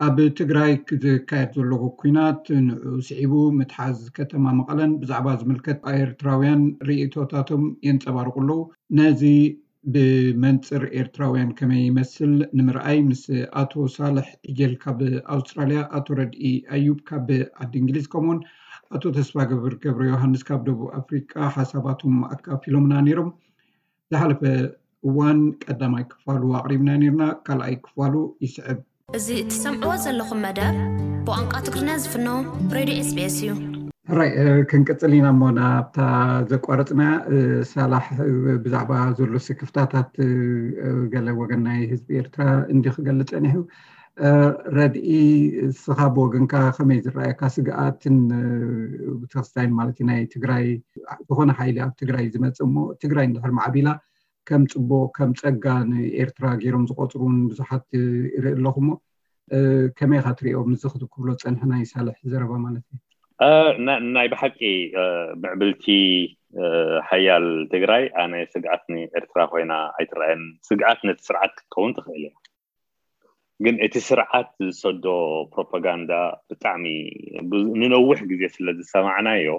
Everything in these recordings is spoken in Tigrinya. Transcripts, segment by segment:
ኣብ ትግራይ ዝካየድ ዘሎ ኩናት ንዑ ስዒቡ ምትሓዝ ከተማ መቐለን ብዛዕባ ዝምልከት ኤርትራውያን ርእይቶታቶም የንጸባርቁ ኣለዉ። ነዚ ብመንጽር ኤርትራውያን ከመይ ይመስል ንምርኣይ ምስ ኣቶ ሳልሕ ዕጀል ካብ ኣውስትራልያ፣ ኣቶ ረድኢ ኣዩብ ካብ ዓዲ እንግሊዝ ከምኡውን ኣቶ ተስፋ ገብር ገብረ ዮሃንስ ካብ ደቡብ ኣፍሪቃ ሓሳባቶም ኣካፊሎምና ነይሮም። ዝሓለፈ እዋን ቀዳማይ ክፋሉ ኣቕሪብና ነርና፣ ካልኣይ ክፋሉ ይስዕብ። እዚ እትሰምዕዎ ዘለኹም መደብ ብቋንቋ ትግርኛ ዝፍኖ ሬድዮ ኤስቢኤስ እዩ። ሕራይ ክንቅጽል ኢና እሞ ናብታ ዘቋረጽና ሳላሕ ብዛዕባ ዘሎ ስክፍታታት ገለ ወገን ናይ ህዝቢ ኤርትራ እንዲ ክገልጽ ጸኒሑ። ረድኢ፣ እስኻ ብወገንካ ከመይ ዝረኣየካ ስግኣትን ተኽስታይን ማለት ናይ ትግራይ ዝኾነ ሓይሊ ኣብ ትግራይ ዝመጽእ እሞ ትግራይ እንድሕር ማዕቢላ ከም ጽቡቕ ከም ጸጋ ንኤርትራ ገይሮም ዝቆጽሩን ብዙሓት ይርኢ ኣለኹ እሞ ከመይ ኢኻ ትሪኦ? ምዚ ክትክብሎ ጸንሐ ናይ ሳልሕ ዘረባ ማለት እዩ። ናይ ብሓቂ ምዕብልቲ ሓያል ትግራይ ኣነ ስግኣት ንኤርትራ ኮይና ኣይትረኣየን። ስግኣት ነቲ ስርዓት ክትከውን ትኽእል እያ። ግን እቲ ስርዓት ዝሰዶ ፕሮፓጋንዳ ብጣዕሚ ንነዊሕ ግዜ ስለ ዝሰማዕናዮ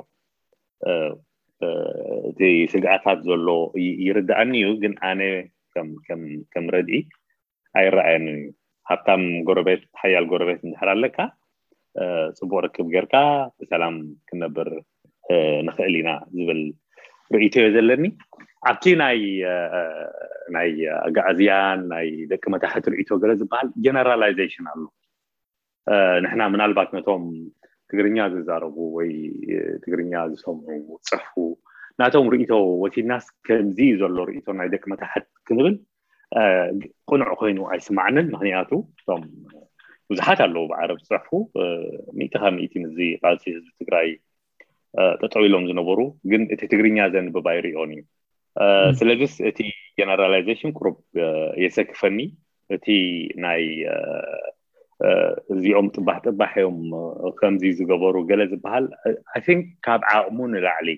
እቲ ስግኣታት ዘሎ ይርዳእኒ እዩ። ግን ኣነ ከም ረድኢ ኣይረኣየንን እዩ። ሃብታም ጎረቤት ሓያል ጎረቤት እንድሕር ኣለካ ጽቡቕ ርክብ ጌርካ ብሰላም ክንነብር ንኽእል ኢና ዝብል ርእይቶ እዮ ዘለኒ። ኣብቲ ናይ ናይ ኣጋኣዝያን ናይ ደቂ መታሕት ርእይቶ ገለ ዝበሃል ጀነራላይዜሽን ኣሎ። ንሕና ምናልባት ነቶም ትግርኛ ዝዛረቡ ወይ ትግርኛ ዝሰምዑ ዝፅሕፉ ናቶም ርእይቶ ወሲድናስ ከምዚ እዩ ዘሎ ርእይቶ ናይ ደቂ መታሕት ክንብል ቅኑዕ ኮይኑ ኣይስማዕንን። ምክንያቱ እቶም ብዙሓት ኣለዉ ብዓረብ ዝፅሕፉ ሚእቲ ካብ ሚእቲ ምስዚ ቃልሲ ህዝቢ ትግራይ ጠጠው ኢሎም ዝነበሩ ግን እቲ ትግርኛ ዘንብብ ኣይርእዮን እዩ። ስለዚስ እቲ ጀነራላይዜሽን ቁሩብ የሰክፈኒ። እቲ ናይ እዚኦም ጥባሕ ጥባሕ እዮም ከምዚ ዝገበሩ ገለ ዝበሃል I think ካብ ዓቕሙ ንላዕሊ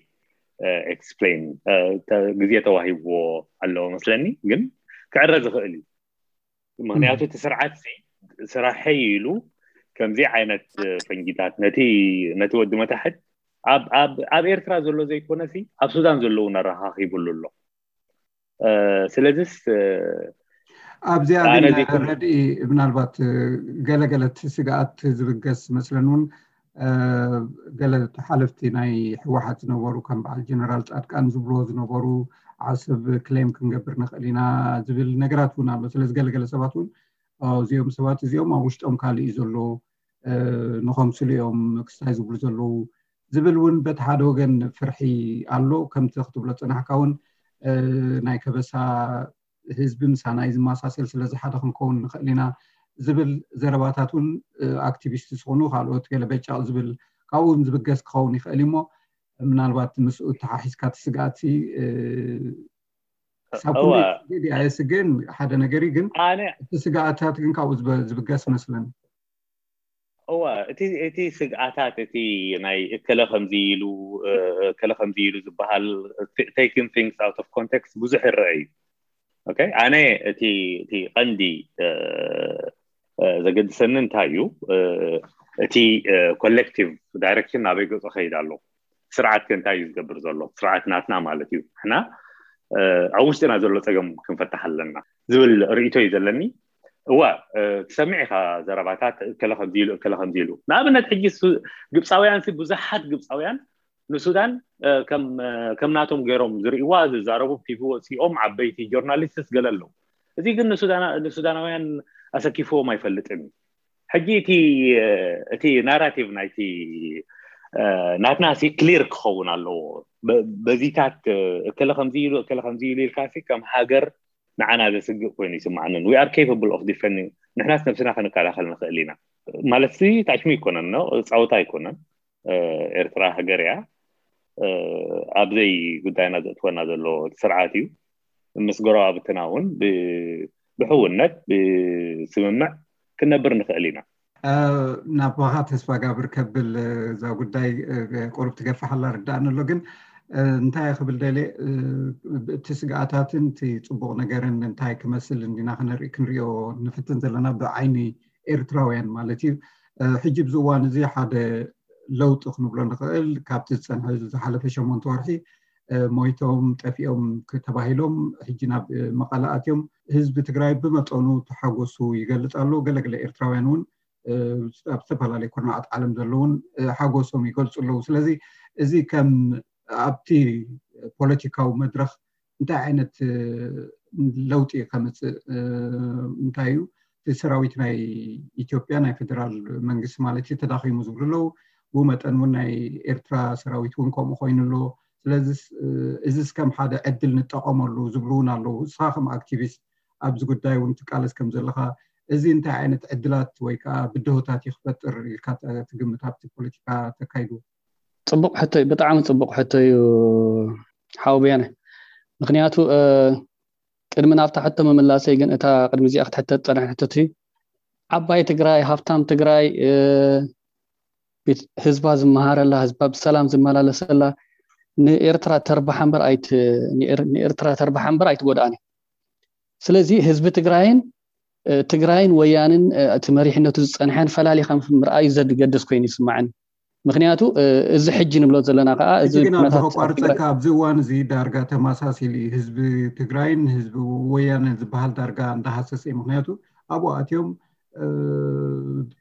explain ግዜ ተዋሂብዎ ኣለዎ መስለኒ። ግን ክዕረ ዝኽእል እዩ። ምክንያቱ እቲ ስርዓት ስራሐይ ኢሉ ከምዚ ዓይነት ፈንጂታት ነቲ ወዲ መታሕት ኣብ ኤርትራ ዘሎ ዘይኮነ ኣብ ሱዳን ዘለዉ ኣረኻኺቡሉ ኣሎ። ስለዚስ ኣብዚኣ ግን ረድኢ ምናልባት ገለገለት ስግኣት ዝብገስ መስለን እውን ገለ ሓለፍቲ ናይ ህወሓት ዝነበሩ ከም በዓል ጀነራል ፃድቃን ዝብልዎ ዝነበሩ ዓሰብ ክሌም ክንገብር ንኽእል ኢና ዝብል ነገራት እውን ኣሎ። ስለዚ ገለገለ ሰባት እውን እዚኦም ሰባት እዚኦም ኣብ ውሽጦም ካልእ እዩ ዘሎ፣ ንኸምስሉ እዮም ክስታይ ዝብሉ ዘለዉ ዝብል እውን በቲ ሓደ ወገን ፍርሒ ኣሎ። ከምቲ ክትብሎ ፅናሕካ እውን ናይ ከበሳ ህዝቢ ምሳና እዩ ዝመሳሰል፣ ስለዚ ሓደ ክንከውን ንኽእል ኢና ዝብል ዘረባታት እውን ኣክቲቪስት ዝኾኑ ካልኦት ገለ በጫቕ ዝብል ካብኡ እውን ዝብገስ ክኸውን ይኽእል እዩ። እሞ ምናልባት ምስኡ ተሓሒዝካ እቲ ስግኣት ክሳብ ኩሉ ኣየስግእን ሓደ ነገር እዩ፣ ግን እቲ ስግኣታት ግን ካብኡ ዝብገስ መስለኒ። እዋ እቲ እቲ ስግኣታት እቲ ናይ እከለ ከምዚ ኢሉ እከለ ከምዚ ኢሉ ዝበሃል taking things out of context ብዙሕ ይረአ እዩ። ኣነ እቲ እቲ ቀንዲ ዘገድሰኒ እንታይ እዩ፣ እቲ collective direction ናበይ ገፁ ከይድ ኣሎ፣ ስርዓት ከ እንታይ እዩ ዝገብር ዘሎ፣ ስርዓት ናትና ማለት እዩ፣ ንሕና ኣብ ውሽጥና ዘሎ ፀገም ክንፈታሕ ኣለና ዝብል ርእይቶ እዩ ዘለኒ። እዋ ትሰምዕ ኢኻ ዘረባታት እከለ ከምዚ ኢሉ እከለ ከምዚ ኢሉ። ንኣብነት ሕጂ ግብፃውያን ብዙሓት ግብፃውያን ንሱዳን ከም ናቶም ገይሮም ዝርእይዋ ዝዛረቡ ቲቪ ወፂኦም ዓበይቲ ጆርናሊስትስ ገለ ኣለዉ። እዚ ግን ንሱዳናውያን ኣሰኪፍዎም ኣይፈልጥን እዩ። ሕጂ እቲ ናራቲቭ ናይቲ ናትና ሲ ክሊር ክኸውን ኣለዎ። በዚታት እከለ ከምዚ ኢሉ እከለ ከምዚ ኢሉ ኢልካ ከም ሃገር ንዓና ዘስግእ ኮይኑ ይስማዓንን we are capable of defending ንሕናስ ነብስና ክንከላኸል ንኽእል ኢና ማለት ታሽሚ ኣይኮነን፣ ፃውታ ኣይኮነን። ኤርትራ ሃገር እያ። ኣብዘይ ጉዳይና ዘእትወና ዘሎ ስርዓት እዩ። ምስ ጎረባብትና እውን ብሕውነት ብስምምዕ ክንነብር ንኽእል ኢና። ናባኻ ተስፋ ጋብር ከብል እዛ ጉዳይ ቁሩብ ትገፍሕ ኣላ ርዳእኒ ኣሎ። ግን እንታይ ክብል ደልየ እቲ ስግኣታትን እቲ ፅቡቕ ነገርን እንታይ ክመስል እንዲና ክንርኢ ክንሪኦ ንፍትን ዘለና ብዓይኒ ኤርትራውያን ማለት እዩ። ሕጂ ኣብዚ እዋን እዚ ሓደ ለውጢ ክንብሎ ንኽእል። ካብቲ ዝፀንሐ ዝሓለፈ ሸሞንተ ወርሒ ሞይቶም ጠፊኦም ተባሂሎም ሕጂ ናብ መቐለ ኣትዮም። ህዝቢ ትግራይ ብመጠኑ ተሓጎሱ ይገልፅ ኣሎ። ገለገለ ኤርትራውያን እውን ኣብ ዝተፈላለዩ ኩርናዓት ዓለም ዘለውን ሓጎሶም ይገልፁ ኣለዉ። ስለዚ እዚ ከም ኣብቲ ፖለቲካዊ መድረኽ እንታይ ዓይነት ለውጢ ከምፅእ እንታይ እዩ እቲ ሰራዊት ናይ ኢትዮጵያ ናይ ፌደራል መንግስቲ ማለት እዩ ተዳኺሙ ዝብሉ ኣለዉ። ብኡ መጠን እውን ናይ ኤርትራ ሰራዊት እውን ከምኡ ኮይኑ ኣሎ። ስለዚ እዚስ ከም ሓደ ዕድል ንጠቐመሉ ዝብሉ እውን ኣለዉ። እስኻ ከም ኣክቲቪስት ኣብዚ ጉዳይ እውን ትቃለስ ከም ዘለኻ እዚ እንታይ ዓይነት ዕድላት ወይ ከዓ ብድሆታት እዩ ክፈጥር ኢልካ ትግምት ኣብቲ ፖለቲካ ተካይዱ? ፅቡቕ ሕቶ እዩ፣ ብጣዕሚ ፅቡቕ ሕቶ እዩ ሓው ብያነ። ምክንያቱ ቅድሚ ናብታ ሕቶ ምምላሰይ ግን እታ ቅድሚ እዚኣ ክትሕተት ፀንሐ ሕቶት ዓባይ ትግራይ፣ ሃፍታም ትግራይ፣ ህዝባ ዝመሃረላ፣ ህዝባ ብሰላም ዝመላለሰላ ንኤርትራ ተርባሓ እምበር ኣይት ንኤርትራ ተርባሓ እምበር ኣይትጎድኣን። ስለዚ ህዝቢ ትግራይን ትግራይን ወያንን እቲ መሪሕነቱ ዝፀንሐን ፈላሊኻ ምርኣዩ ዘገድስ ኮይኑ ይስማዓኒ። ምክንያቱ እዚ ሕጂ ንብሎ ዘለና ከዓ እዚ ግን ኣብዚ ከቋርፀካ ኣብዚ እዋን እዚ ዳርጋ ተመሳሲል እዩ። ህዝቢ ትግራይን ህዝቢ ወያንን ዝበሃል ዳርጋ እንዳሃሰሰ እዩ። ምክንያቱ ኣብኡ ኣትዮም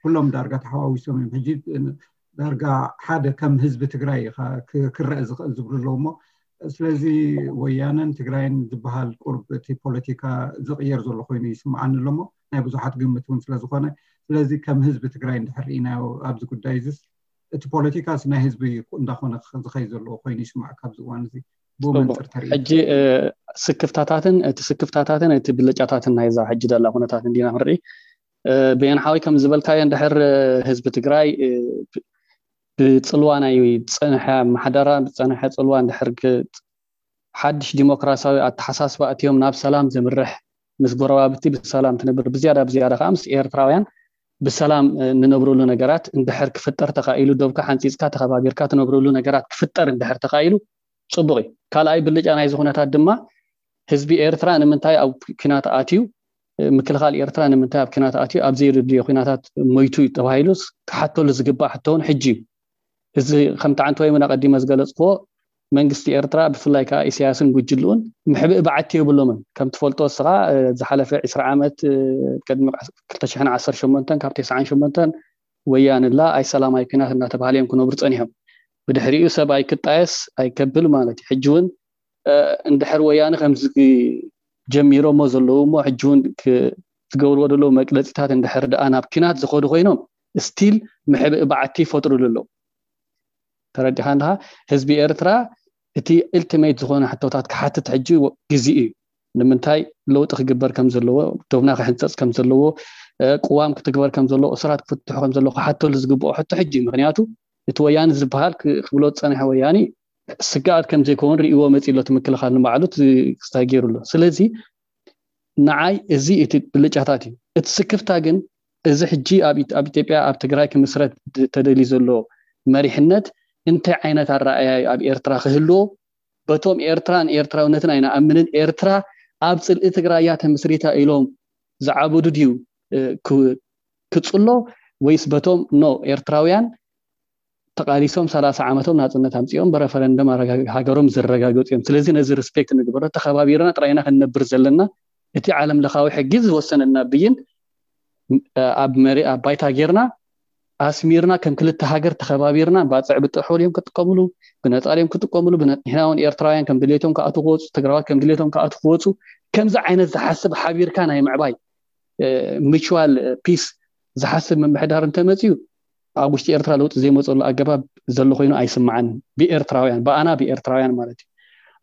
ኩሎም ዳርጋ ተሓዋዊሶም እዮም። ሕጂ ዳርጋ ሓደ ከም ህዝቢ ትግራይ ክረአ ዝኽእል ዝብሉ ኣለዉ እሞ ስለዚ ወያነን ትግራይን ዝበሃል ቁርብ እቲ ፖለቲካ ዝቕየር ዘሎ ኮይኑ ይስምዓኒ ኣሎ እሞ ናይ ብዙሓት ግምት እውን ስለዝኾነ ስለዚ ከም ህዝቢ ትግራይ እንድሕር ርኢናዮ ኣብዚ ጉዳይ እዚስ እቲ ፖለቲካስ ናይ ህዝቢ እንዳኾነ ዝኸይ ዘለዎ ኮይኑ ይስማዕ ካብዚ እዋን እዚ ብኡ መንፅር ተርኢ ሕጂ ስክፍታታትን እቲ ስክፍታታትን እቲ ብልጫታትን ናይዛ ሕጂ ዘላ ኩነታት እንዲና ክንርኢ ብየን ሓወይ ከም ዝበልካዮ እንድሕር ህዝቢ ትግራይ ብፅልዋ ናይ ዝፀንሐ ኣመሓዳራ ብፀንሐ ፅልዋ እንድሕር ሓድሽ ዲሞክራሲያዊ ኣተሓሳስባ ኣትዮም ናብ ሰላም ዘምርሕ ምስ ጎረባብቲ ብሰላም ትነብር ብዝያዳ ብዝያዳ ከዓ ምስ ኤርትራውያን ብሰላም ንነብረሉ ነገራት እንድሕር ክፍጠር ተኻኢሉ ዶብካ ሓንፂፅካ ተኸባቢርካ ትነብረሉ ነገራት ክፍጠር እንድሕር ተኻኢሉ ፅቡቕ እዩ። ካልኣይ ብልጫ ናይዚ ኩነታት ድማ ህዝቢ ኤርትራ ንምንታይ ኣብ ኲናት ኣትዩ ምክልኻል ኤርትራ ንምንታይ ኣብ ኲናት ኣትዩ ኣብ ዘይርድዮ ኲናታት ሞይቱ እዩ ተባሂሉ ክሓተሉ ዝግባእ ሕቶ እውን ሕጂ እዩ። እዚ ከምቲ ዓንተወይ እውን ኣቐዲመ ዝገለፅክዎ መንግስቲ ኤርትራ ብፍላይ ከዓ ኢሳያስን ጉጅልኡን ምሕብእ በዓቲ የብሎምን። ከም ትፈልጦ እስኻ ዝሓለፈ ዕስራ ዓመት ቅድሚ ክልተ ሽሕን ዓሰርተ ሸሞንተን ካብ ተስዓን ሸሞንተን ወያንላ ኣይሰላማይ ኲናት እናተባህለ እዮም ክነብሩ ፀኒሖም። ብድሕሪኡ ሰብ ኣይክጣየስ ኣይከብል ማለት እዩ። ሕጂ እውን እንድሕር ወያነ ከምዚ ጀሚሮሞ ዘለዉ እሞ ሕጂ እውን ዝገብርዎ ዘለዉ መግለፂታት እንድሕር ደኣ ናብ ኲናት ዝኸዱ ኮይኖም ስቲል ምሕብእ በዓቲ ይፈጥሩሉ ኣለዉ። ተረዲኻ እንድኻ ህዝቢ ኤርትራ እቲ ኢልቲሜት ዝኾነ ሕቶታት ክሓትት ሕጂ ግዜ እዩ። ንምንታይ ለውጢ ክግበር ከም ዘለዎ፣ ዶብና ክሕንፀፅ ከም ዘለዎ፣ ቅዋም ክትግበር ከም ዘለዎ፣ እሱራት ክፍትሑ ከም ዘለዎ ክሓተሉ ዝግብኦ ሕቶ ሕጂ እዩ። ምክንያቱ እቲ ወያነ ዝበሃል ክብሎ ዝፀንሐ ወያኒ ስግኣት ከም ዘይከውን ርእይዎ መፂ ኣሎ። እቲ ምክልኻል ንባዕሉ ክስታይ ገይሩ ኣሎ። ስለዚ ንዓይ እዚ እቲ ብልጫታት እዩ። እቲ ስክፍታ ግን እዚ ሕጂ ኣብ ኢትዮጵያ ኣብ ትግራይ ክምስረት ተደልዩ ዘሎ መሪሕነት እንታይ ዓይነት ኣረኣእያ እዩ ኣብ ኤርትራ ክህልዎ? በቶም ኤርትራን ኤርትራውነትን ኣይንኣምንን፣ ኤርትራ ኣብ ፅልኢ ትግራይ እያ ተመስሪታ ኢሎም ዝዓበዱ ድዩ ክፅሎ ወይስ በቶም ኖ ኤርትራውያን ተቓሊሶም ሰላሳ ዓመቶም ናፅነት ኣምፂኦም ብረፈረንደም ሃገሮም ዘረጋገፁ እዮም። ስለዚ ነዚ ሪስፔክት ንግበሮ። ተኸባቢርና ጥራይና ክንነብር ዘለና እቲ ዓለም ለኻዊ ሕጊ ዝወሰነና ብይን ኣብ መሪ ኣብ ባይታ ጌርና ኣስሚርና ከም ክልተ ሃገር ተኸባቢርና ባፅዕ ብጥሑል እዮም ክጥቀምሉ ብነፃል እዮም ክጥቀምሉ ንሕና እውን ኤርትራውያን ከም ድሌቶም ክኣቱ ክወፁ ትግራዋት ከም ድሌቶም ክኣቱ ክወፁ ከምዚ ዓይነት ዝሓስብ ሓቢርካ ናይ ምዕባይ ሚቹዋል ፒስ ዝሓስብ ምምሕዳር እንተመፅዩ ኣብ ውሽጢ ኤርትራ ለውጢ ዘይመፀሉ ኣገባብ ዘሎ ኮይኑ ኣይስምዓንን ብኤርትራውያን ብኣና ብኤርትራውያን ማለት እዩ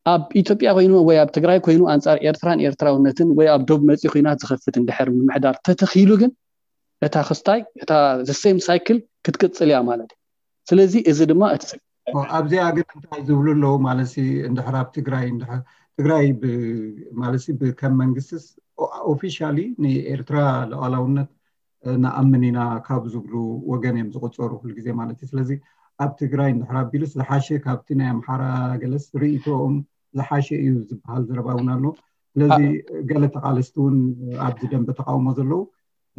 ኣብ ኢትዮጵያ ኮይኑ ወይ ኣብ ትግራይ ኮይኑ ኣንፃር ኤርትራን ኤርትራውነትን ወይ ኣብ ዶብ መፂ ኩናት ዝኸፍት እንድሕር ምምሕዳር ተተኺሉ ግን እታ ክስታይ እታ ዘሴም ሳይክል ክትቅፅል እያ ማለት እዩ ስለዚ እዚ ድማ እቲ ኣብዚኣ ግን እንታይ ዝብሉ ኣለዉ ማለት እንድሕር ኣብ ትግራይ ትግራይ ማለት ከም መንግስትስ ኦፊሻሊ ንኤርትራ ሉዓላውነት ንኣምን ኢና ካብ ዝብሉ ወገን እዮም ዝቁፀሩ ኩሉ ግዜ ማለት እዩ ስለዚ ኣብ ትግራይ እንድሕር ኣቢሉስ ዝሓሸ ካብቲ ናይ ኣምሓራ ገለስ ርእይቶኦም ዝሓሸ እዩ ዝበሃል ዘረባ እውን ኣሎ ስለዚ ገለ ተቃለስቲ እውን ኣብዚ ደንበ ተቃውሞ ዘለዉ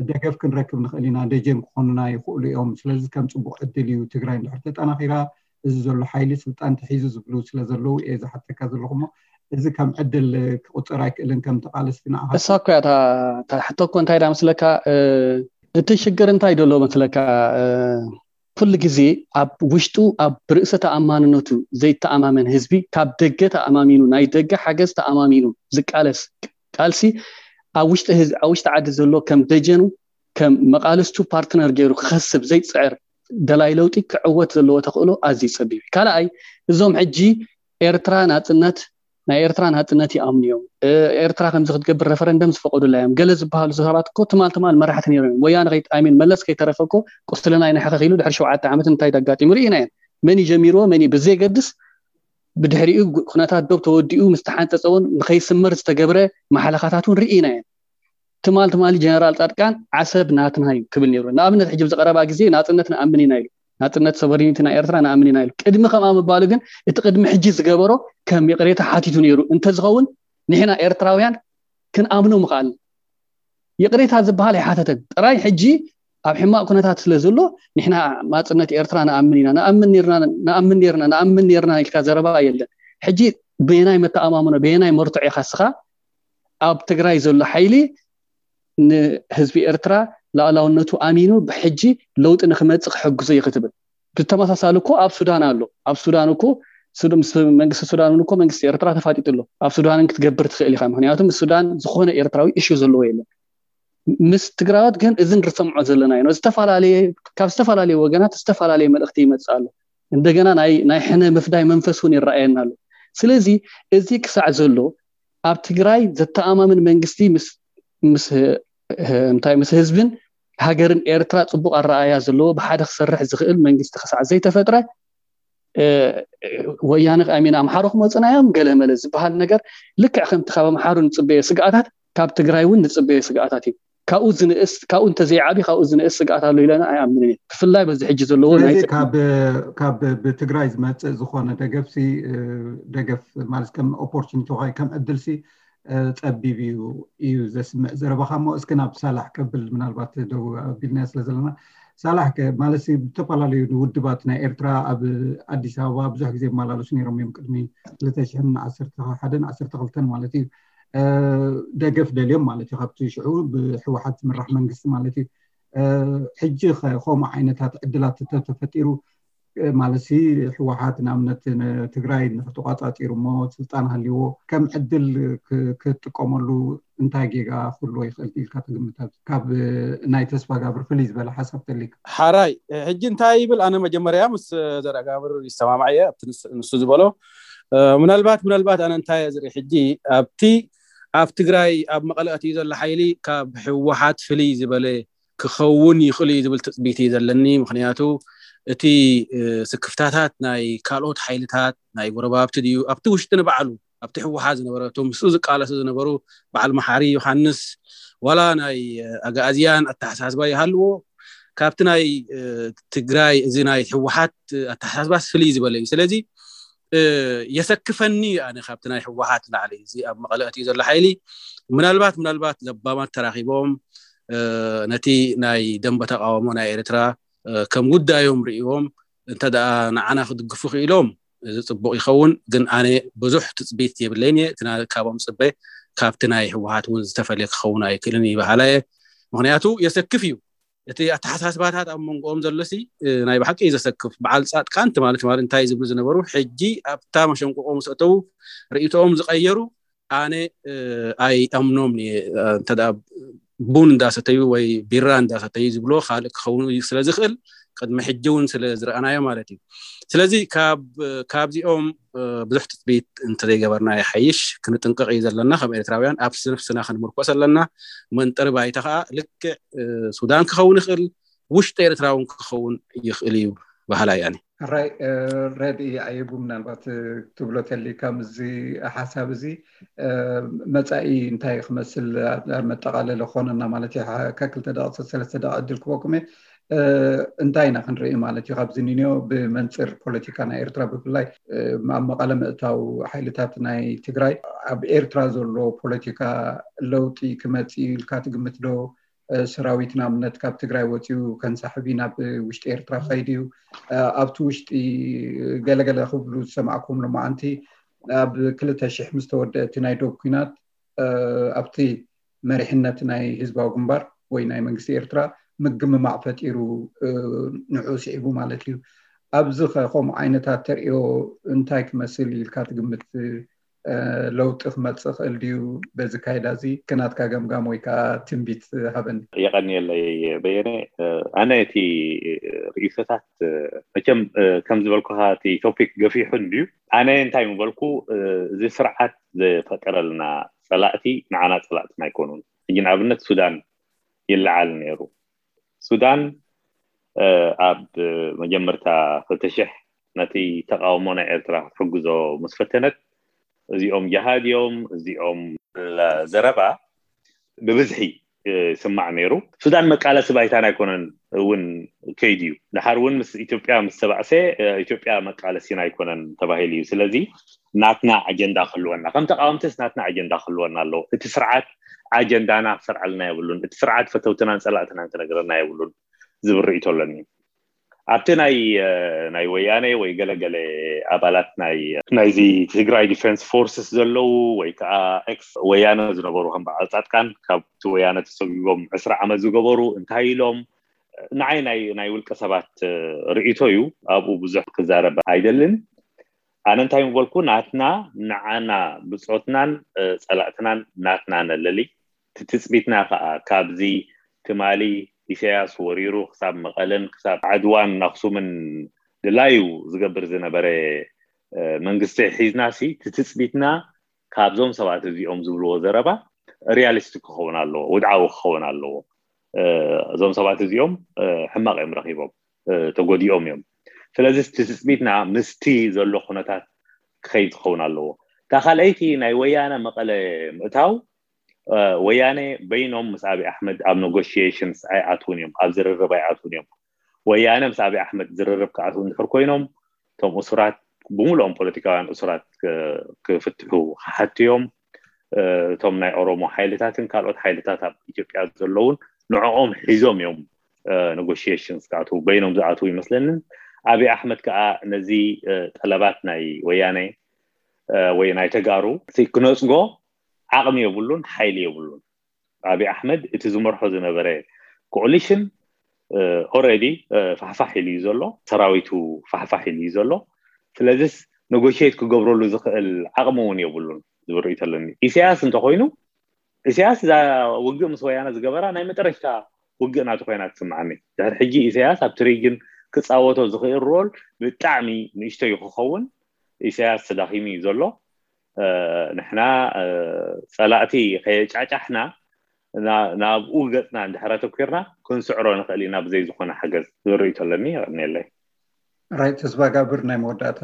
ደገፍ ክንረክብ ንኽእል ኢና፣ ደጀን ክኾኑና ይኽእሉ እዮም። ስለዚ ከም ፅቡቅ ዕድል እዩ። ትግራይ እንድሕር ተጠናኺራ፣ እዚ ዘሎ ሓይሊ ስልጣን ተሒዙ ዝብሉ ስለ ዘለዉ እየ ዝሓተካ ዘለኹ። እሞ እዚ ከም ዕድል ክቁፀር ኣይክእልን? ከም ተቃለስቲ ንዓኻ እሳ እኮ እያ እታ ሕቶ እኮ እንታይ ዳ መስለካ? እቲ ሽግር እንታይ ደሎ መስለካ? ኩሉ ግዜ ኣብ ውሽጡ ኣብ ርእሰ ተኣማንነቱ ዘይተኣማመን ህዝቢ፣ ካብ ደገ ተኣማሚኑ፣ ናይ ደገ ሓገዝ ተኣማሚኑ ዝቃለስ ቃልሲ፣ ኣብ ውሽጢ ዓዲ ዘሎ ከም ደጀኑ፣ ከም መቃልስቱ ፓርትነር ገይሩ ክኸስብ ዘይፅዕር ደላይ ለውጢ ክዕወት ዘለዎ ተኽእሎ ኣዝዩ ፀቢብ እዩ። ካልኣይ፣ እዞም ሕጂ ኤርትራ ናፅነት ናይ ኤርትራ ናፅነት ይኣምኑ እዮም። ኤርትራ ከምዚ ክትገብር ረፈረንደም ዝፈቀዱላ እዮም ገለ ዝበሃሉ ሰባት እኮ ትማል ትማል መራሕቲ ነይሮም እዮም። ወያነ ሚን መለስ ከይተረፈ እኮ ቁስልና ይንሕኸኽ ኢሉ ድሕሪ ሸውዓተ ዓመት እንታይ ኣጋጢሙ ርኢና እዮም። መን እዩ ጀሚርዎ መን እዩ ብዘየገድስ፣ ብድሕሪኡ ኩነታት ዶብ ተወዲኡ ምስ ተሓንፀፀ እውን ንኸይስመር ዝተገብረ ማሕለኻታት እውን ርኢና እዮም። ትማል ትማሊ ጀነራል ፃድቃን ዓሰብ ናትና እዩ ክብል ነይሩ። ንኣብነት ሕጂ ብዝቀረባ ግዜ ናፅነት ንኣምን ኢና ኢሉ፣ ናፅነት ሶቨሪኒቲ ናይ ኤርትራ ንኣምን ኢና ኢሉ። ቅድሚ ከምኣ ምባሉ ግን እቲ ቅድሚ ሕጂ ዝገበሮ ከም ይቅሬታ ሓቲቱ ነይሩ እንተዝኸውን ንሕና ኤርትራውያን ክንኣምኖ ምኽኣል። ይቅሬታ ዝበሃል ኣይሓተተን። ጥራይ ሕጂ ኣብ ሕማቅ ኩነታት ስለ ዘሎ ንሕና ናፅነት ኤርትራ ንኣምን ኢና፣ ንኣምን ነርና፣ ንኣምን ነርና፣ ንኣምን ነርና ኢልካ ዘረባ የለን። ሕጂ በየናይ መተኣማምኖ በየናይ መርትዖ ኢኻ እስኻ ኣብ ትግራይ ዘሎ ሓይሊ ንህዝቢ ኤርትራ ላእላውነቱ ኣሚኑ ብሕጂ ለውጢ ንክመፅእ ክሕግዞ እዩ ክትብል? ብተመሳሳሊ እኮ ኣብ ሱዳን ኣሎ። ኣብ ሱዳን እኮ ምስ መንግስቲ ሱዳን እውን እኮ መንግስቲ ኤርትራ ተፋጢጡ ኣሎ። ኣብ ሱዳንን ክትገብር ትኽእል ኢኻ። ምክንያቱ ምስ ሱዳን ዝኾነ ኤርትራዊ እሹ ዘለዎ የለን። ምስ ትግራዎት ግን እዚ ንርሰምዖ ዘለና እዩ። ካብ ዝተፈላለየ ወገናት ዝተፈላለየ መልእክቲ ይመፅእ ኣሎ። እንደገና ናይ ሕነ ምፍዳይ መንፈስ እውን ይረኣየና ኣሎ። ስለዚ እዚ ክሳዕ ዘሎ ኣብ ትግራይ ዘተኣማምን መንግስቲ እንታይ ምስ ህዝብን ሃገርን ኤርትራ ፅቡቅ ኣረኣያ ዘለዎ ብሓደ ክሰርሕ ዝኽእል መንግስቲ ክሳዕ ዘይተፈጥረ፣ ወያነ ከኣ ሚን ኣምሓሩ ክመፁና እዮም ገለ መለ ዝበሃል ነገር ልክዕ ከምቲ ካብ ኣምሓሩ ንፅበዮ ስግኣታት ካብ ትግራይ እውን ንፅበዮ ስግኣታት እዩ። ካብኡ ዝንእስ ካብኡ እንተዘይዓቢ ካብኡ ዝንእስ ስግኣት ኣሎ ኢለና ኣይኣምንን እየ። ብፍላይ በዚ ሕጂ ዘለዎ ናይ ካብ ብትግራይ ዝመፅእ ዝኾነ ደገፍሲ ደገፍ ማለት ከም ኦፖርቹኒቲ ወይ ከም ዕድልሲ ፀቢብ እዩ እዩ ዘስምዕ ዘረባኻ። እሞ እስኪ ናብ ሳላሕ ከብል ምናልባት ደው ኣቢልና ስለ ዘለና ሳላሕ ማለት ዝተፈላለዩ ውድባት ናይ ኤርትራ ኣብ ኣዲስ ኣበባ ብዙሕ ግዜ ይመላለሱ ነይሮም እዮም ቅድሚ ክልተ ሽሕን ዓሰርተ ሓደን ዓሰርተ ክልተን ማለት እዩ። ደገፍ ደልዮም ማለት እዩ ካብቲ ሽዑ ብህወሓት ዝምራሕ መንግስቲ ማለት እዩ። ሕጂ ከምኡ ዓይነታት ዕድላት ተተፈጢሩ ማለት ህወሓት ንኣብነት ትግራይ ንክተቋፃፂሩ እሞ ስልጣን ሃልይዎ ከም ዕድል ክጥቀመሉ እንታይ ጌጋ ክህልዎ ይኽእል ኢልካ ትግምት? ካብ ናይ ተስፋጋብር ፍልይ ዝበለ ሓሳብ ተሊካ? ሓራይ ሕጂ እንታይ ይብል? ኣነ መጀመርያ ምስ ዘርኣጋብር ይሰማማዕ እየ ኣብቲ ንሱ ዝበሎ። ምናልባት ምናልባት ኣነ እንታይ ዝርኢ ሕጂ ኣብቲ ኣብ ትግራይ ኣብ መቐለ ኣትዩ ዘሎ ሓይሊ ካብ ህወሓት ፍልይ ዝበለ ክኸውን ይኽእል እዩ ዝብል ትፅቢት እዩ ዘለኒ። ምክንያቱ እቲ ስክፍታታት ናይ ካልኦት ሓይልታት ናይ ጎረባብቲ ድዩ ኣብቲ ውሽጢ ንባዕሉ ኣብቲ ህወሓት ዝነበረ እቶም ምስኡ ዝቃለሱ ዝነበሩ በዓል መሓሪ ዮሃንስ ዋላ ናይ ኣግኣዝያን ኣተሓሳስባ ይሃልዎ ካብቲ ናይ ትግራይ እዚ ናይ ህወሓት ኣተሓሳስባ ፍልይ ዝበለ እዩ። ስለዚ የሰክፈኒ ኣነ ካብቲ ናይ ህወሓት ላዕሊ እዚ ኣብ መቐለ ኣትዩ ዘሎ ሓይሊ ምናልባት ምናልባት ለባማት ተራኺቦም ነቲ ናይ ደንበ ተቃውሞ ናይ ኤርትራ ከም ጉዳዮም ርእዎም እንተ ደኣ ንዓና ክድግፉ ክኢሎም እዚ ፅቡቅ ይኸውን። ግን ኣነ ብዙሕ ትፅቢት የብለይን እየ። እቲ ካብኦም ፅበ ካብቲ ናይ ህወሓት እውን ዝተፈልየ ክኸውን ኣይክእልን ይበሃላ እየ። ምክንያቱ የሰክፍ እዩ እቲ ኣተሓሳስባታት ኣብ መንጎኦም ዘሎሲ ናይ ብሓቂ እዩ ዘሰክፍ። በዓል ፃድቃን ትማሊ ትማሊ እንታይ ዝብሉ ዝነበሩ ሕጂ ኣብታ መሸንቆቆ ምስ ኣተዉ ርእይቶኦም ዝቀየሩ ኣነ ኣይኣምኖም እየ። እንተ ቡን እንዳሰተዩ ወይ ቢራ እንዳሰተዩ ዝብሎ ካልእ ክኸውን ስለ ዝኽእል ቅድሚ ሕጂ እውን ስለ ዝረኣናዮ ማለት እዩ። ስለዚ ካብዚኦም ብዙሕ ትፅቢት እንተዘይገበርና ይሓይሽ። ክንጥንቀቕ እዩ ዘለና ከም ኤርትራውያን ኣብ ነፍስና ክንምርኮስ ኣለና። መንጠሪ ባይታ ከዓ ልክዕ ሱዳን ክኸውን ይኽእል ውሽጢ ኤርትራ እውን ክኸውን ይኽእል እዩ በሃላይ ኣነ። ሕራይ ረድኢ ኣየቡ ምናልባት ትብሎ ተሊካ ምስዚ ሓሳብ እዚ መፃኢ እንታይ ክመስል ኣብ መጠቃለለ ክኾነና ማለት እዩ። ካብ ክልተ ደቂ ሰለስተ ደቂ ዕድል ክበኩም እየ። እንታይ ኢና ክንርኢ ማለት እዩ ካብዚ ንንዮ ብመንፅር ፖለቲካ ናይ ኤርትራ ብፍላይ ኣብ መቐለ ምእታው ሓይልታት ናይ ትግራይ ኣብ ኤርትራ ዘሎ ፖለቲካ ለውጢ ክመፅእ ኢልካ ትግምት ዶ? ሰራዊት ንኣብነት ካብ ትግራይ ወፂኡ ከንሳሕብ እዩ ናብ ውሽጢ ኤርትራ ከይድ እዩ። ኣብቲ ውሽጢ ገለገለ ክብሉ ዝሰማዕኩም ሎማዓንቲ ኣብ ክልተ ሽሕ ምስ ተወደአ እቲ ናይ ዶብ ኲናት ኣብቲ መሪሕነት ናይ ህዝባዊ ግንባር ወይ ናይ መንግስቲ ኤርትራ ምግምማዕ ፈጢሩ ንዑ ስዒቡ ማለት እዩ። ኣብዚ ከ ከምኡ ዓይነታት ተርእዮ እንታይ ክመስል ኢልካ ትግምት? ለውጢ ክመፅእ ክእል ድዩ በዚ ካይዳ እዚ? ከናትካ ገምጋም ወይ ከዓ ትንቢት ሃበኒ። የቐንየለይ በየነ። ኣነ እቲ ርእይቶታት መቸም ከም ዝበልኩኻ እቲ ቶፒክ ገፊሑ እንድዩ። ኣነ እንታይ ምበልኩ፣ እዚ ስርዓት ዝፈጠረልና ፀላእቲ ንዓና ፀላእትና ኣይኮኑን። ሕጂ ንኣብነት ሱዳን ይለዓል ነይሩ። ሱዳን ኣብ መጀመርታ ክልተ ሽሕ ነቲ ተቃውሞ ናይ ኤርትራ ክትሕግዞ ምስ ፈተነት፣ እዚኦም ጀሃድ እዮም፣ እዚኦም ዘረባ ብብዝሒ ይስማዕ ነይሩ። ሱዳን መቃለሲ ባይታና ኣይኮነን እውን ከይዱ እዩ። ድሓር እውን ምስ ኢትዮጵያ ምስ ተባእሰ ኢትዮጵያ መቃለሲና ኣይኮነን ተባሂሉ እዩ። ስለዚ ናትና ኣጀንዳ ክህልወና ከም ተቃወምትስ ናትና ኣጀንዳ ክህልወና ኣለዎ። እቲ ስርዓት ኣጀንዳና ክሰርዓልና የብሉን። እቲ ስርዓት ፈተውትናን ፀላእትናን ክነግረና የብሉን ዝብል ርእይቶ ኣለኒ። ኣብቲ ናይ ናይ ወያነ ወይ ገለገለ ኣባላት ናይ ናይዚ ትግራይ ዲፌንስ ፎርስስ ዘለዉ ወይ ከዓ ኤክስ ወያነ ዝነበሩ ከም በዓል ፃድቃን ካብቲ ወያነ ተሰጒጎም ዕስራ ዓመት ዝገበሩ እንታይ ኢሎም? ንዓይ ናይ ናይ ውልቀ ሰባት ርእይቶ እዩ። ኣብኡ ብዙሕ ክዛረብ ኣይደልን። ኣነ እንታይ ምበልኩ፣ ናትና ንዓና ብፆትናን ፀላእትናን ናትና ነለሊ። እቲ ትፅቢትና ከዓ ካብዚ ትማሊ ኢሳያስ ወሪሩ ክሳብ መቐለን ክሳብ ዓድዋን ኣክሱምን ድላዩ ዝገብር ዝነበረ መንግስቲ ሒዝናሲ፣ እቲ ትፅቢትና ካብዞም ሰባት እዚኦም ዝብልዎ ዘረባ ሪያሊስቲክ ክኸውን ኣለዎ፣ ውድዓዊ ክኸውን ኣለዎ። እዞም ሰባት እዚኦም ሕማቕ እዮም ረኺቦም፣ ተጎዲኦም እዮም። ስለዚ እቲ ትፅቢትና ምስቲ ዘሎ ኩነታት ክኸይድ ክኸውን ኣለዎ። እታ ካልኣይቲ ናይ ወያነ መቐለ ምእታው፣ ወያነ በይኖም ምስ ኣብይ ኣሕመድ ኣብ ኔጎሽዬሽንስ ኣይኣትውን እዮም፣ ኣብ ዝርርብ ኣይኣትውን እዮም። ወያነ ምስ ኣብይ ኣሕመድ ዝርርብ ክኣትዉ እንድሕር ኮይኖም፣ እቶም እሱራት ብምሉኦም ፖለቲካውያን እሱራት ክፍትሑ ክሓቱ እዮም። እቶም ናይ ኦሮሞ ሓይልታትን ካልኦት ሓይልታት ኣብ ኢትዮጵያ ዘለውን ንዕኦም ሒዞም እዮም ኔጎሽዬሽንስ ክኣትዉ፣ በይኖም ዝኣትዉ ይመስለንን። ኣብይ ኣሕመድ ከዓ ነዚ ጠለባት ናይ ወያነ ወይ ናይ ተጋሩ ክነፅጎ ዓቕሚ የብሉን፣ ሓይሊ የብሉን። ኣብይ ኣሕመድ እቲ ዝመርሖ ዝነበረ ኮኦሊሽን ኦልሬዲ ፋሕፋሕ ኢሉ እዩ ዘሎ፣ ሰራዊቱ ፋሕፋሕ ኢሉ እዩ ዘሎ። ስለዚስ ኔጎሽዬት ክገብረሉ ዝኽእል ዓቕሚ እውን የብሉን ዝብል ርእይቶ ኣለኒ። ኢሳያስ እንተኮይኑ፣ ኢሳያስ እዛ ውግእ ምስ ወያነ ዝገበራ ናይ መጠረሽታ ውግእ ናቱ ኮይና ትስምዓኒ። ድሕሪ ሕጂ ኢሳያስ ኣብቲ ሪጅን ክፃወቶ ዝኽእል ሮል ብጣዕሚ ንእሽቶ እዩ ክኸውን። ኢሳያስ ተዳኺሙ እዩ ዘሎ። ንሕና ፀላእቲ ከየጫጫሕና ናብኡ ገፅና እንድሕር ኣተኲርና ክንስዕሮ ንኽእል ኢና ብዘይ ዝኾነ ሓገዝ ዝብል ርእይቶ ኣለኒ። የቐንየለይ። ራይት ተስፋጋብር፣ ናይ መወዳእታ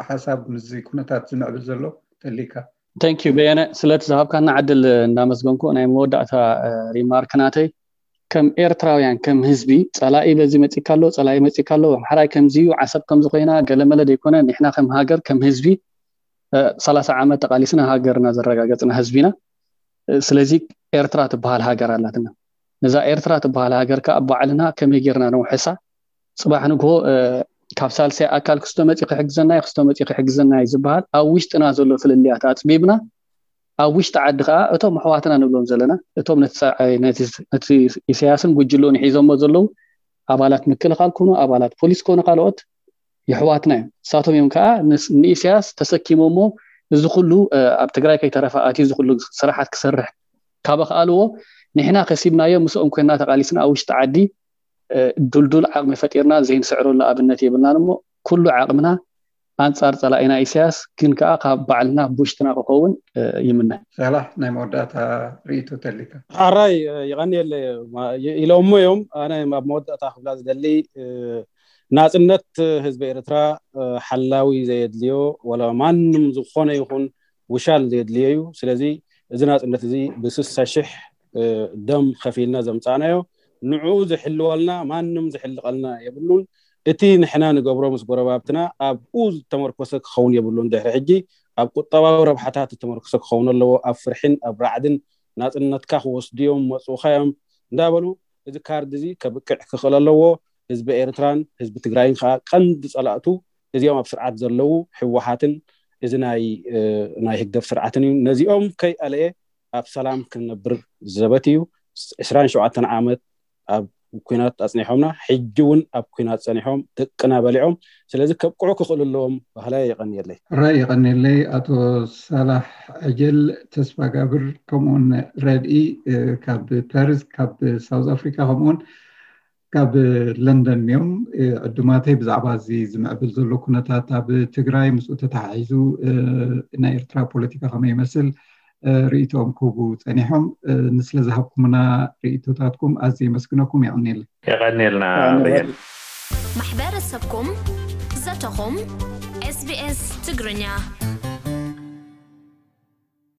ሓሳብ ምስዚ ኩነታት ዝምዕብል ዘሎ ተሊካ። ተንክ ዩ በየነ፣ ስለቲ ዝሃብካና ዕድል እናመስገንኩ ናይ መወዳእታ ሪማርክ ናተይ ከም ኤርትራውያን ከም ህዝቢ ፀላኢ በዚ መፂካ ኣሎ፣ ፀላኢ መፂካ ኣሎ፣ ኣምሓራይ ከምዚ እዩ፣ ዓሰብ ከምዚ ኮይና ገለመለ ዘይኮነ ንሕና ከም ሃገር ከም ህዝቢ ሰላሳ ዓመት ተቃሊስና ሃገርና ዘረጋገፅና ህዝቢና። ስለዚ ኤርትራ ትበሃል ሃገር ኣላትና። ነዛ ኤርትራ ትበሃል ሃገር ከዓ ባዕልና ከመይ ጌርና ነውሕሳ? ፅባሕ ንግሆ ካብ ሳልሳይ ኣካል ክስቶ መፂ ክሕግዘና እዩ፣ ክስቶ መፂ ክሕግዘና እዩ ዝበሃል ኣብ ውሽጥና ዘሎ ፍልልያት ኣፅቢብና ኣብ ውሽጢ ዓዲ ከዓ እቶም ኣሕዋትና ንብሎም ዘለና እቶም ነቲ ኢሳያስን ጉጅልኡን ሒዞሞ ዘለዉ ኣባላት ምክልኻል ኮኑ ኣባላት ፖሊስ ኮኑ ካልኦት የሕዋትና እዮም። ንሳቶም እዮም ከዓ ንኢሳያስ ተሰኪሞሞ እዚ ኩሉ ኣብ ትግራይ ከይተረፈ ኣትዩ እዚ ኩሉ ስራሓት ክሰርሕ ካብ ኣኽኣልዎ ንሕና ከሲብናዮ ምስኦም ኮይና ተቃሊስና ኣብ ውሽጢ ዓዲ ድልዱል ዓቕሚ ፈጢርና ዘይንስዕረሉ ኣብነት የብልናን እሞ ኩሉ ዓቕምና ኣንፃር ፀላኢና ኢሳያስ ግን ከዓ ካብ ባዕልና ብውሽጥና ክኸውን ይምነ። ሳላሕ ናይ መወዳእታ ርእይቶ ተሊካ። ሕራይ ይቐንየለ ኢሎሞ እዮም። ኣነ ኣብ መወዳእታ ክብላ ዝደሊ ናፅነት ህዝቢ ኤርትራ ሓላዊ ዘየድልዮ ወላ ማንም ዝኾነ ይኹን ውሻል ዘየድልዮ እዩ። ስለዚ እዚ ናፅነት እዚ ብስሳ ሽሕ ደም ከፊልና ዘምፃእናዮ ንዕኡ ዝሕልወልና ማንም ዝሕልቀልና የብሉን። እቲ ንሕና ንገብሮ ምስ ጎረባብትና ኣብኡ ዝተመርኮሰ ክኸውን የብሉን። ድሕሪ ሕጂ ኣብ ቁጠባዊ ረብሓታት ዝተመርኮሰ ክኸውን ኣለዎ። ኣብ ፍርሕን ኣብ ራዕድን ናፅነትካ ክወስዱ እዮም መፁኻዮም እንዳበሉ፣ እዚ ካርድ እዚ ከብቅዕ ክኽእል ኣለዎ። ህዝቢ ኤርትራን ህዝቢ ትግራይን ከዓ ቀንዲ ጸላእቱ እዚኦም ኣብ ስርዓት ዘለዉ ህወሓትን እዚ ናይ ናይ ህግደፍ ስርዓትን እዩ። ነዚኦም ከይኣለየ ኣብ ሰላም ክንነብር ዘበት እዩ። ዕስራን ሸውዓተን ዓመት ኣብ ኩናት ኣጽኒሖምና፣ ሕጂ እውን ኣብ ኩናት ጸኒሖም፣ ደቅና በሊዖም። ስለዚ ከብቅዑ ክኽእሉ ኣለዎም። ባህላይ የቐንየለይ። ራይ የቐንየለይ ኣቶ ሳላሕ ዕጀል ተስፋ ጋብር፣ ከምኡውን ረድኢ ካብ ፓሪስ፣ ካብ ሳውዝ ኣፍሪካ፣ ከምኡውን ካብ ለንደን እዮም። ዕዱማተይ፣ ብዛዕባ እዚ ዝምዕብል ዘሎ ኩነታት ኣብ ትግራይ፣ ምስኡ ተተሓሒዙ ናይ ኤርትራ ፖለቲካ ከመይ ይመስል ርእይቶኦም ክህቡ ጸኒሖም። ንስለ ዝሃብኩምና ርእይቶታትኩም ኣዝየ የመስግነኩም። የቐንየለይ። የቐንየልና። ማሕበረሰብኩም፣ ዘተኹም፣ SBS ትግርኛ።